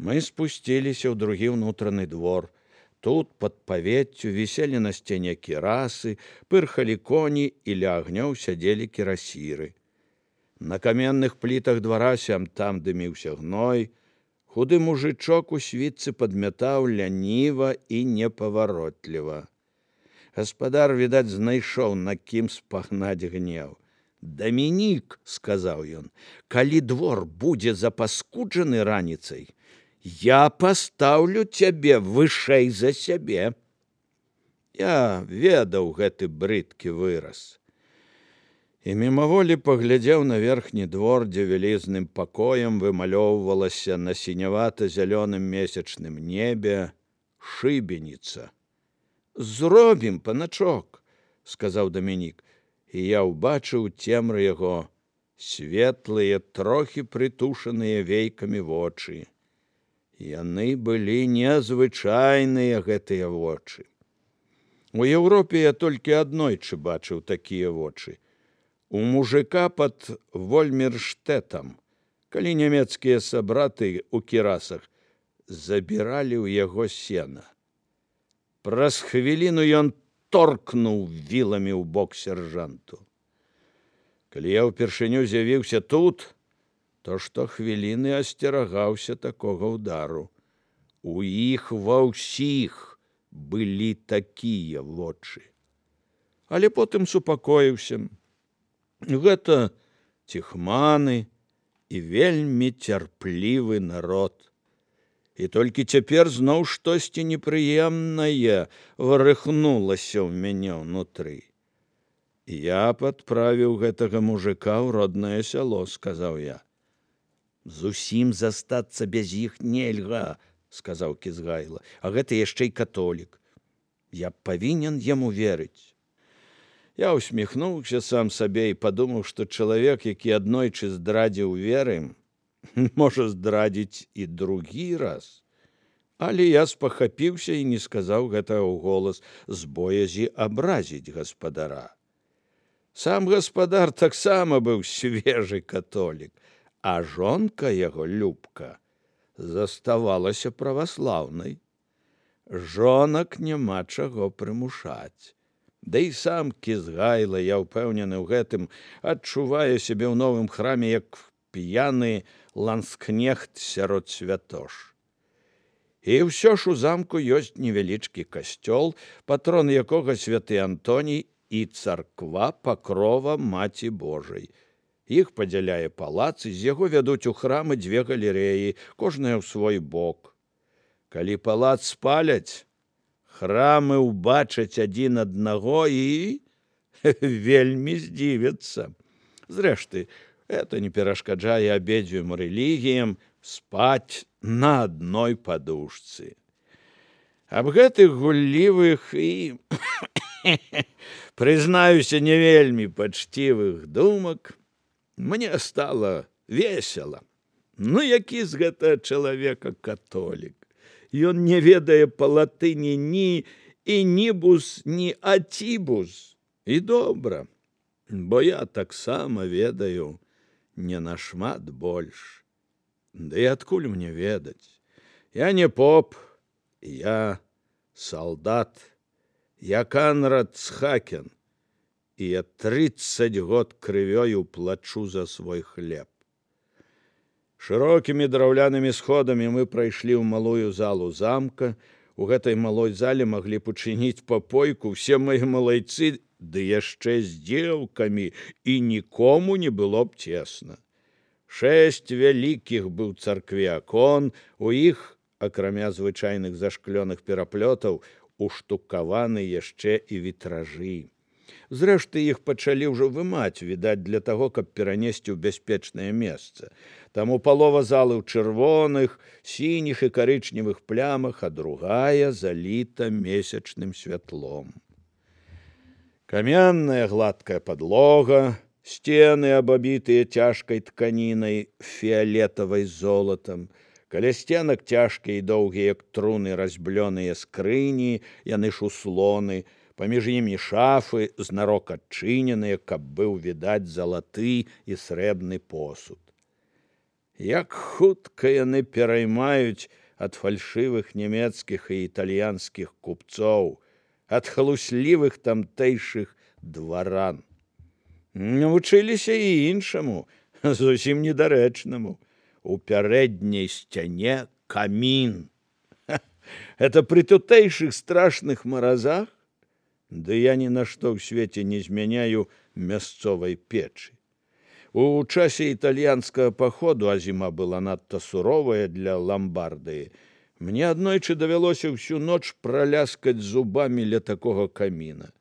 Мы спусціліся ў другі ўнутраны двор. Тут пад павеццю віселі на сцяне кірасы, пырхалі коні і ля агнёў сядзелі кірасіры. На каменных плітах двара сям-там дыміўся гной. Худы мужычок у світцы падмятаў ляніва і непаваротліва. Гаспадар, відаць, знайшоў, на кім спагнаць гнеў. «Дамінік, — сказаў ён, — калі двор будзе запаскуджаны раніцай, я пастаўлю цябе вышэй за сябе». Я ведаў гэты брыдкі выраз. І мімаволі паглядзеў на верхні двор, дзе вялізным пакоем вымалёўвалася на сінявата-зялёным месячным небе шыбеніца. «Зробім, паначок, — сказаў Дамінік, і я ўбачыў цемры яго светлыя, трохі прытушаныя вейкамі вочы. Яны былі незвычайныя, гэтыя вочы. У Еўропе я толькі аднойчы бачыў такія вочы. У мужика пад Вольмерштэтам, калі нямецкія сабраты ў кірасах забіралі ў яго сена. Праз хвіліну ён торкнуў віламі ў бок сяржанту. Калі я ўпершыню з'явіўся тут, то штохвіліны асцерагаўся такога ўдару. У іх ва ўсіх былі такія вочы. Але потым супакоіўся. Гэта ціхманы і вельмі цярплівы народ. І толькі цяпер зноў штосьці непрыемнае варыхнулася ў мяне ўнутры. Я падправіў гэтага мужика ў роднае сяло, сказаў я. «Зусім застацца без іх нельга, — сказаў Кізгайла, — а гэта яшчэ й католік. Я павінен яму верыць». Я усміхнуўся сам сабе і падумаў, што чалавек, які аднойчы здрадзіў веры, можа здрадзіць і другі раз. Але я спахапіўся і не сказаў гэтага ўголас з боязі абразіць гаспадара. Сам гаспадар таксама быў свежы католік, а жонка яго, Любка, заставалася праваслаўнай. Жонак няма чаго прымушаць. Да і сам Кізгайла, я ўпэўнены ў гэтым, адчувае сябе ў новым храме як п'яны ланскнехт сярод святош. І ўсё ж у замку ёсць невялічкі касцёл, патрон якога святы Антоній і царква Пакрова Маці Божай. Іх падзяляе палац, і з яго вядуць у храмы дзве галерэі, кожная ў свой бок. Калі палац спаляць, храмы ўбачаць адзін аднаго і вельмі здзівяцца. Зрэшты, это не перашкаджае абедзвюм рэлігіям спаць на адной падушцы. Аб гэтых гуллівых і, прызнаюся, не вельмі пачцівых думак мне стала весела. Ну, які з гэтага чалавека католік? Ён не ведае па-латыні ні інібус, ні атібус. І добра, бо я таксама ведаю не нашмат больш. Да і адкуль мне ведаць? Я не поп, я салдат, я Канрад Цхакен, і я 30 год крывёю плачу за свой хлеб. Шырокімі драўлянымі сходамі мы прайшлі ў малую залу замка. У гэтай малой зале маглі б учыніць папойку ўсе мае малайцы, ды яшчэ з дзеўкамі, і нікому не было б цесна. 6 вялікіх быў царкве акон, у іх, акрамя звычайных зашклёных пераплётаў, уштукаваны яшчэ і вітражы. Зрэшты, іх пачалі ўжо вымаць, відаць, для таго, каб перанесці ў бяспечнае месца. Таму палова залы ў чырвоных, сініх і карычневых плямах, а другая заліта месячным святлом. Каменная гладкая падлога, сцены, абабітыя цяжкай тканінай, фіялетавай з золатам, каля сценак цяжкія і доўгія, як труны, разьблёныя скрыні, яны ж услоны, паміж імі шафы, знарок адчыненыя, каб быў відаць залаты і срэбны посуд. Як хутка яны пераймаюць ад фальшывых нямецкіх і італьянскіх купцоў, ад халуслівых тамтэйшых дваран. Навучыліся і іншаму, зусім недарэчнаму. У пярэдняй сцяне камін. Это пры тутэйшых страшных маразах? Ды я ні на што ў свеце не змяняю мясцовай печы. У часе італьянскага паходу, а зіма была надта суровая для Ламбардыі, мне аднойчы давялося ўсю ноч праляскаць зубамі ля такога каміна.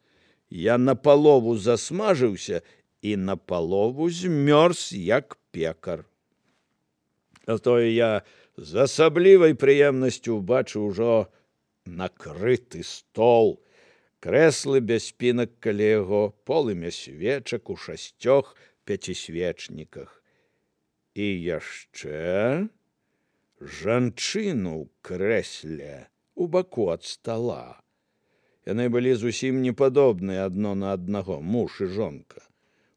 Я напалову засмажыўся і напалову змёрз, як пекар. А тое я з асаблівай прыемнасцю ўбачыў ужо накрыты стол, крэслы без спінак каля яго, полымя свечак у 6 пяцісвечніках. І яшчэ жанчыну ў крэсле у баку ад стала. Яны былі зусім не падобныя адно на аднаго, муж і жонка.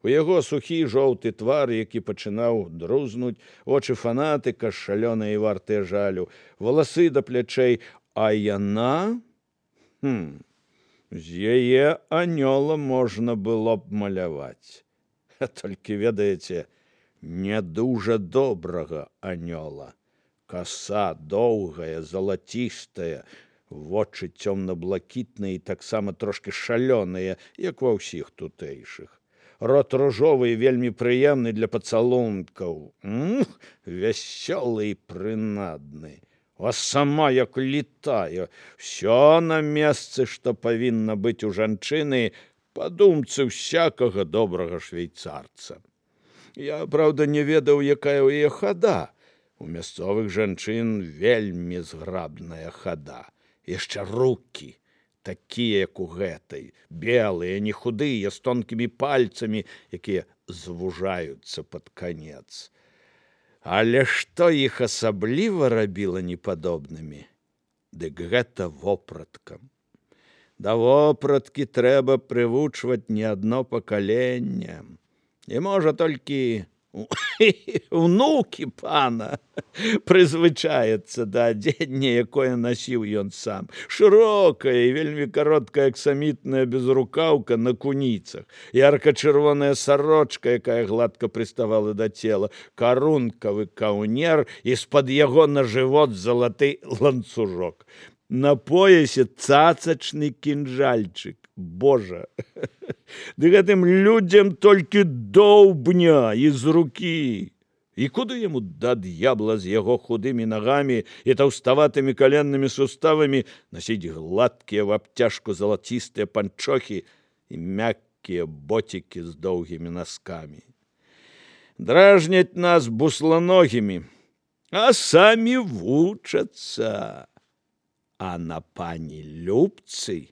У яго сухі жоўты твар, які пачынаў друзнуць, вочы фанатыка шалёныя і вартыя жалю, валасы да плячэй, а яна... З яе анёла можна было б маляваць. Толькі, ведаеце, не дужа добрага анёла. Каса доўгая, залацістая, вочы цёмна-блакітныя і таксама трошкі шалёныя, як ва ўсіх тутэйшых. Рот ружовы і вельмі прыемны для пацалункаў. Вясёлы і прынадны. А сама як летае. Всё на месцы, што павінна быць у жанчыны, па думцы всякага добрага швейцарца. Я, праўда, не ведаў, якая ў яе хада. У мясцовых жанчын вельмі зграбная хада. Яшчэ рукі, такія, як у гэтай, белыя, не худыя, з тонкімі пальцамі, якія звужаюцца пад канец. Але што іх асабліва рабіла непадобнымі? Дык гэта вопраткам. Да вопраткі трэба прывучваць не адно пакаленне. І можа толькі унукі пана прызвычаецца да адзення, якое насіў ён сам. Шырокая і вельмі кароткая аксамітная безрукаўка на куніцах, ярка-чырвоная сарочка, якая гладка прыставала да цела, карункавы каўнер і з-пад яго на жывот залаты ланцужок. На поясе цацачны кінжальчык. Божа, ды гэтым людзям толькі доўбня і з рукі. І куды яму да д'ябла з яго худымі нагамі і таўставатымі каленнымі суставамі насіць гладкія в абцяжку залацістыя панчохі і мяккія боцікі з доўгімі наскамі. Дражняць нас бусланогімі, а самі вучацца. А на пані Любцы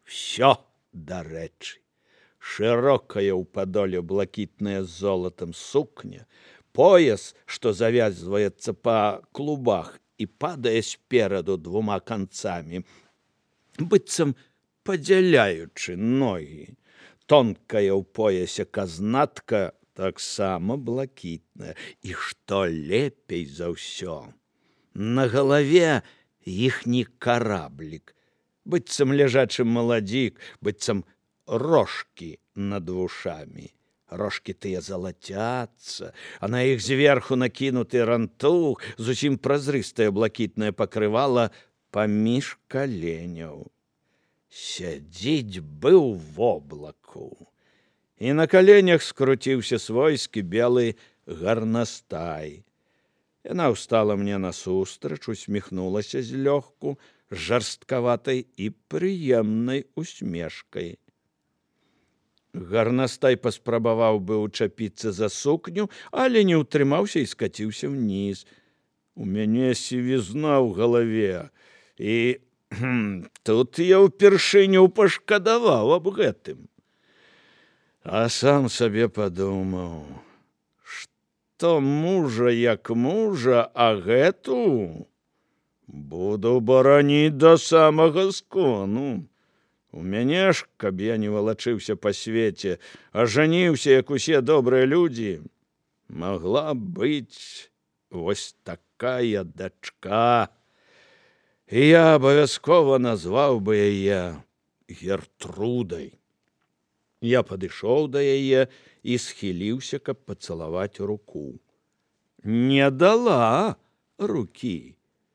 всё дарэчы. Шырокая ў падоле блакітная з золатам сукня, пояс, што завязваецца па клубах і падае спераду 2 канцамі, быццам падзяляючы ногі. Тонкая ў поясе казнатка таксама блакітная. І што лепей за ўсё, на галаве іхні караблік, быццам ляжачы маладзік, быццам рожкі над вушамі. Рожкі тыя залацяцца, а на іх зверху накінуты рантух, зусім празрыстае блакітнае пакрывала паміж каленяў. Сядзіць бы ў воблаку. І на каленях скруціўся свойскі белы гарнастай. Яна ўстала мне насустрач, усміхнулася злёгку, жарсткаватай і прыемнай усмешкай. Гарнастай паспрабаваў бы ўчапіцца за сукню, але не ўтрымаўся і скаціўся ўніз. У мяне сівізна ў галаве, і тут я ўпершыню пашкадаваў аб гэтым. А сам сабе падумаў, што мужа як мужа, а гэту буду бараніць да самага скону. У мяне ж, каб я не валачыўся па свеце, а жаніўся, як усе добрыя людзі, магла быць Вось такая дачка. І я абавязкова назваў бы яе Гертрудай. Я падышоў да яе і схіліўся, каб пацалаваць руку. Не дала рукі.